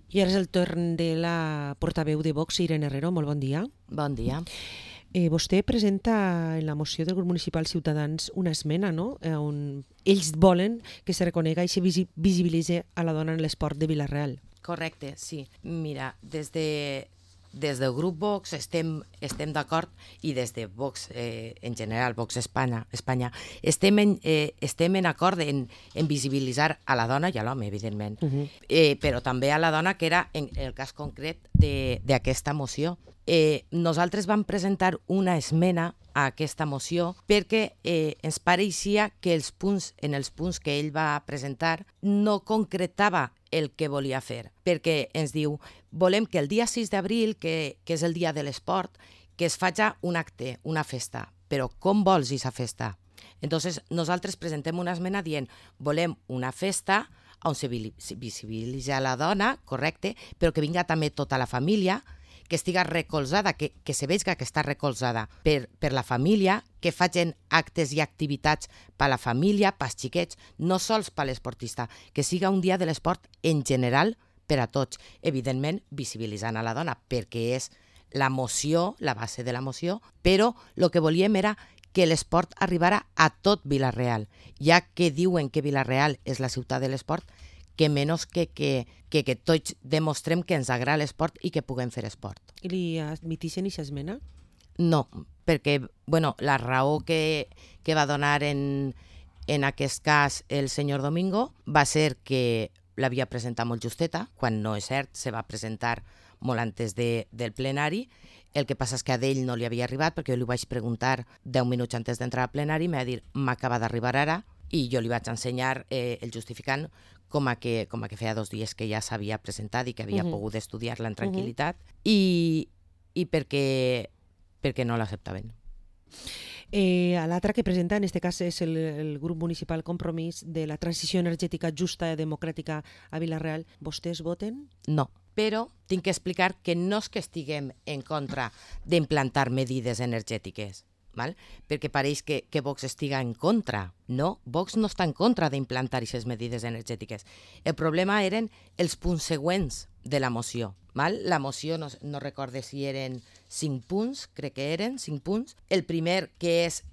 I ara és el torn de la portaveu de Vox, Irene Herrero. Molt bon dia. Bon dia. Vostè presenta en la moció del grup municipal Ciutadans una esmena, no?, on ells volen que se reconega i se visibilitzi a la dona en l'esport de Vila-real. Correcte, sí. Mira, des del grup Vox estem d'acord, i des de Vox en general, Vox Espanya, estem en acord en visibilitzar a la dona i a l'home, evidentment, però també a la dona, que era en el cas concret d'aquesta moció. Nosaltres vam presentar una esmena a aquesta moció perquè ens pareixia que en els punts que ell va presentar no concretava el que volia fer, perquè ens diu: volem que el dia 6 d'abril, que és el dia de l'esport, que es faci un acte, una festa. Però com vols aquesta festa? Entonces nosaltres presentem una esmena dient: volem una festa on se visibilitza la dona, correcte, però que vinga també tota la família, que estiga recolzada, que se vegi que està recolzada per la família, que facin actes i activitats per la família, pels xiquets, no sols per l'esportista, que siga un dia de l'esport en general per a tots, evidentment visibilitzant a la dona, perquè és la moció, la base de la moció, però el que volíem era que l'esport arribara a tot Vila-real, ja que diuen que Vila-real és la ciutat de l'esport, que menys que tots demostrem que ens agrada l'esport i que puguem fer esport. I li admitixen aquesta esmena? No, perquè la raó que va donar en aquest cas el senyor Domingo va ser que l'havia presentat molt justeta, quan no és cert, se va presentar molt antes del plenari. El que passa és que a ell no li havia arribat, perquè jo li vaig preguntar 10 minuts antes d'entrar al plenari, i m'ha dit: m'acaba d'arribar ara, i jo li vaig ensenyar el justificant com a que feia 2 dies que ja s'havia presentat i que havia pogut estudiar-la en tranquil·litat, i perquè no l'acceptaven. L'altre que presenta, en aquest cas, és el grup municipal Compromís de la transició energètica justa i democràtica a Vila-real. Vostès voten? No, però tinc que explicar que no és que estiguem en contra d'implantar medides energètiques, perquè pareix que Vox estiga en contra. No, Vox no està en contra d'implantar aquestes medides energètiques. El problema eren els punts següents de la moció. La moció, no recorde si eren 5 punts, crec que eren 5 punts. El primer, que és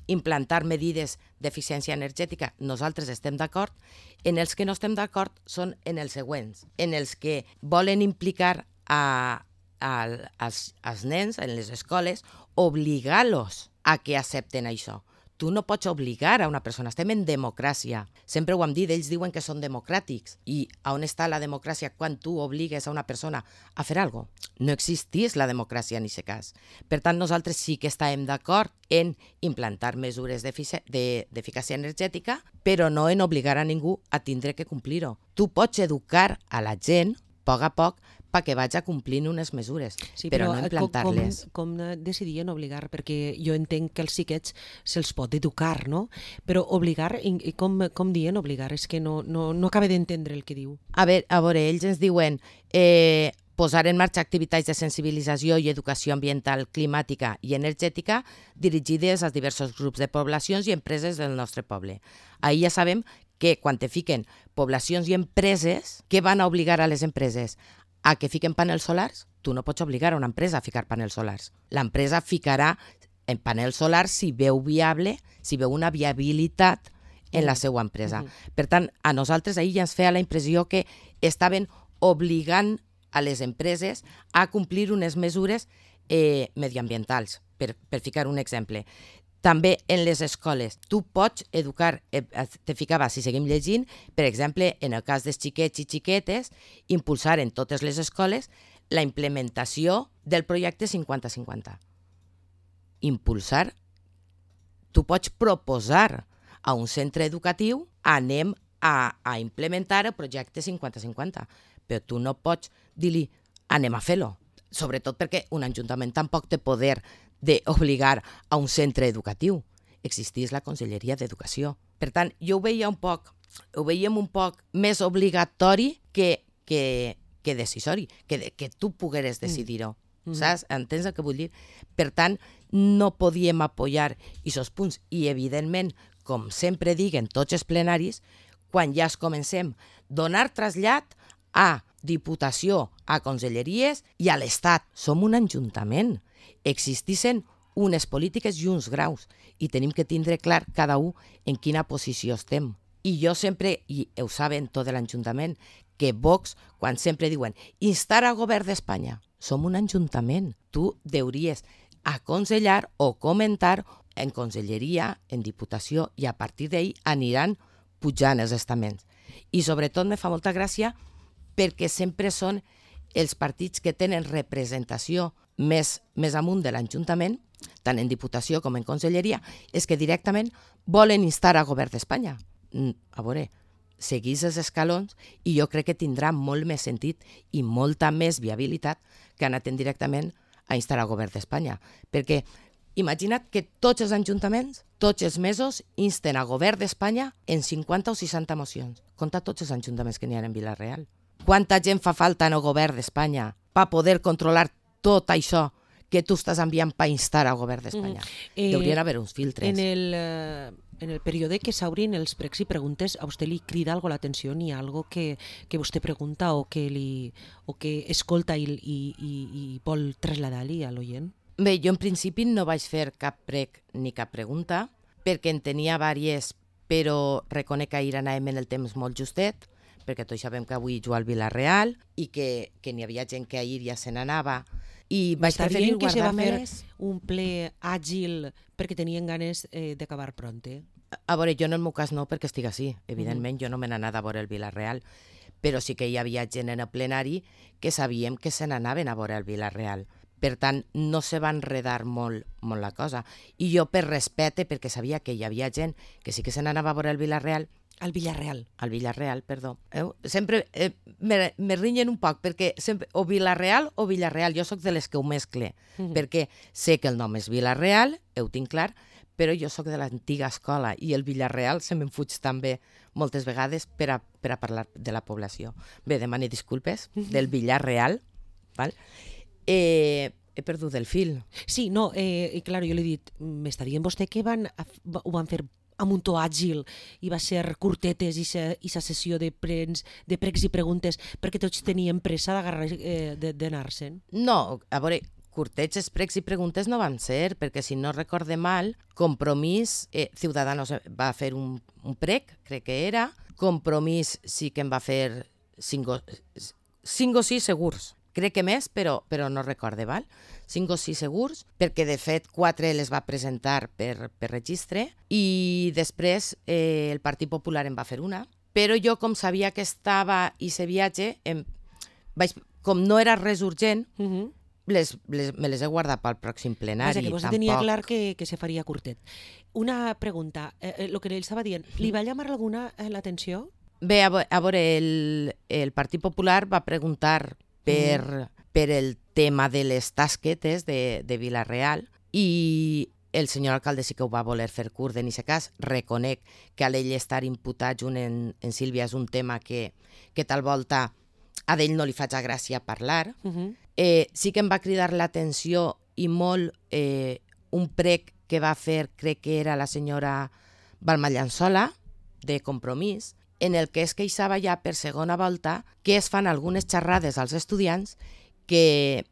implantar medides d'eficiència energètica, nosaltres estem d'acord. En els que no estem d'acord són en els següents, en els que volen implicar als nens en les escoles, obligar-los a que accepten això. Tu no pots obligar a una persona, estem en democràcia. Sempre ho hem dit, ells diuen que són democràtics. I on està la democràcia quan tu obligues a una persona a fer alguna cosa? No existís la democràcia en aquest cas. Per tant, nosaltres sí que estàvem d'acord en implantar mesures d'eficàcia energètica, però no en obligar a ningú a tindre que complir-ho. Tu pots educar a la gent, a poc, perquè vaig a complir unes mesures, sí, però no implantar-les. Com decidien obligar? Perquè jo entenc que els xiquets se'ls pot educar, no? Però obligar, com dient obligar? És que no acabo d'entendre el que diu. A veure, ells ens diuen posar en marxa activitats de sensibilització i educació ambiental, climàtica i energètica dirigides als diversos grups de poblacions i empreses del nostre poble. Ahir ja sabem que quan te fiquen poblacions i empreses, què van a obligar a les empreses? A que fiquen panels solars? Tu no pots obligar a una empresa a ficar panels solars. L'empresa ficarà en panels solars si veu viable, si veu una viabilitat en la seva empresa. Per tant, a nosaltres ahir ja ens feia la impressió que estaven obligant a les empreses a complir unes mesures mediambientals, per ficar un exemple. També en les escoles. Tu pots educar, te ficava, si seguim llegint, per exemple, en el cas dels xiquets i xiquetes, impulsar en totes les escoles la implementació del projecte 50-50. Impulsar. Tu pots proposar a un centre educatiu: anem a implementar el projecte 50-50, però tu no pots dir-li: anem a fer-lo. Sobretot perquè un ajuntament tampoc té poder d'obligar a un centre educatiu. Existís la Conselleria d'Educació. Per tant, jo ho veiem un poc més obligatori que decisori, que tu pogueres decidir-ho. Saps? Entens el que vull dir? Per tant, no podíem apoyar aquests punts. I, evidentment, com sempre diguen tots els plenaris, quan ja es comencem, donar trasllat a Diputació, a conselleries i a l'Estat. Som un ajuntament. Existissin unes polítiques i uns graus i tenim que tindre clar cada un en quina posició estem. I jo sempre, i ho saben tot l'Ajuntament, que Vox, quan sempre diuen instar al govern d'Espanya, som un ajuntament. Tu hauries aconsellar o comentar en conselleria, en diputació, i a partir d'ahir aniran pujant els estaments. I sobretot me fa molta gràcia perquè sempre són els partits que tenen representació més amunt de l'Ajuntament, tant en diputació com en conselleria, és que directament volen instar al govern d'Espanya. A veure, seguís els escalons i jo crec que tindrà molt més sentit i molta més viabilitat que anar directament a instar al govern d'Espanya. Perquè imagina't que tots els ajuntaments, tots els mesos, insten al govern d'Espanya en 50 o 60 mocions. Compta tots els ajuntaments que n'hi ha en Vila-real. Quanta gent fa falta en el govern d'Espanya per poder controlar tot això que tu estàs enviant per instar al govern d'Espanya? Haurien d'haver uns filtres. En el període que s'obrin els pregs i preguntes, a vostè li crida algo l'atenció? N'hi ha algo que vostè pregunta o que escolta i vol traslladar-li a l'oient? Bé, jo en principi no vaig fer cap prec ni cap pregunta, perquè en tenia diverses, però reconec que ahir anàvem en el temps molt justet, perquè tots sabem que avui juga al Vila-real i que n'hi havia gent que ahir ja se n'anava, i vaig preferir que se va fer guardar-me-les. un ple àgil perquè tenien ganes d'acabar pronte? A veure, jo en el meu cas no, perquè estic així. Evidentment, jo no me n'anava a veure el Vila-real, però sí que hi havia gent en el plenari que sabíem que se n'anaven a veure el Vila-real. Per tant, no se va enredar molt la cosa. I jo, per respecte, perquè sabia que hi havia gent que sí que se n'anava a veure el Vila-real, Al Villarreal. al Villarreal, perdó. Sempre me rinyen un poc, perquè sempre, o Vila-real o Villarreal. Jo sóc de les que ho mescle, perquè sé que el nom és Vila-real, ho tinc clar, però jo sóc de l'antiga escola i el Villarreal se me'n fuig també moltes vegades per a parlar de la població. Bé, demane disculpes, del Villarreal, val? He perdut el fil. Sí, no, i clar, jo li he dit, m'està dient vostè que ho van fer amb un to àgil i va ser curtetes i sa sessió de pregs i preguntes perquè tots tenien pressa d'anar-se'n? No, a veure, curtets, pregs i preguntes no van ser, perquè si no recorde mal, Compromís, Ciudadanos va fer un prec, crec que era, Compromís sí que en va fer 5 o 6 segurs. Crec que més, però no recorde, val? 5 o 6 segurs, perquè de fet 4 les va presentar per registre i després el Partit Popular en va fer una, però jo com sabia que estava i se viatge, com no era res urgent, me les he guardat pel pròxim plenari. Que vostè tenia clar que se faria curtet. Una pregunta, el que ell estava dient, li va llamar alguna l'atenció? Bé, a veure, el Partit Popular va preguntar per el tema de les tasquetes de Vila-real i el senyor alcalde sí que ho va voler fer curt en aquest cas. Reconec que a l'ell estar imputat junt en Sílvia és un tema que tal volta a d'ell no li faig gràcia parlar. Sí que em va cridar l'atenció i molt un prec que va fer, crec que era la senyora Balma Llançola, de Compromís, en el que es queixava ja per segona volta que es fan algunes xerrades als estudiants que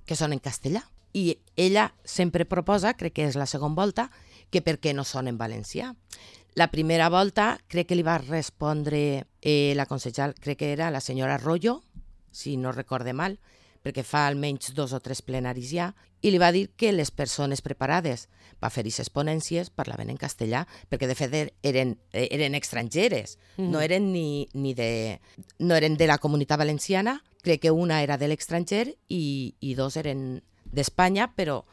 són en castellà. I ella sempre proposa, crec que és la segona volta, que per què no són en valencià. La primera volta crec que li va respondre la consellera, crec que era la senyora Arroyo, si no recorde mal, perquè fa almenys 2 o 3 plenaris ja, i li va dir que les persones preparades per fer aquestes ponències parlaven en castellà, perquè de fet eren estrangeres, no eren no eren de la Comunitat Valenciana, crec que una era de l'estranger i 2 eren d'Espanya, però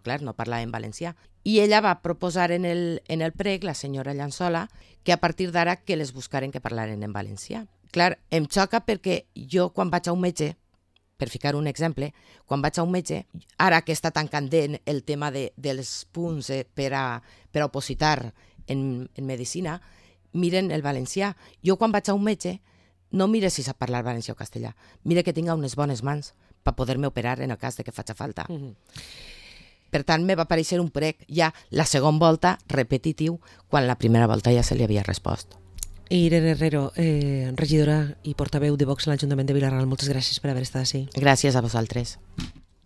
clar, no parlaven valencià. I ella va proposar en el prec, la senyora Llançola, que a partir d'ara que les buscaren que parlaren en valencià. Clar, em xoca perquè jo quan vaig a un metge, per ficar un exemple, quan vaig a un metge, ara que està tan candent el tema dels punts per a opositar en medicina, miren el valencià. Jo quan vaig a un metge no mire si sap parlar valencià o castellà, mire que tinga unes bones mans per poder-me operar en el cas de que faci falta. Per tant, me va aparèixer un prec ja la segona volta repetitiu, quan la primera volta ja se li havia respost. Irene Herrero, regidora i portaveu de Vox a l'Ajuntament de Vila-ral, moltes gràcies per haver estat així. Gràcies a vosaltres.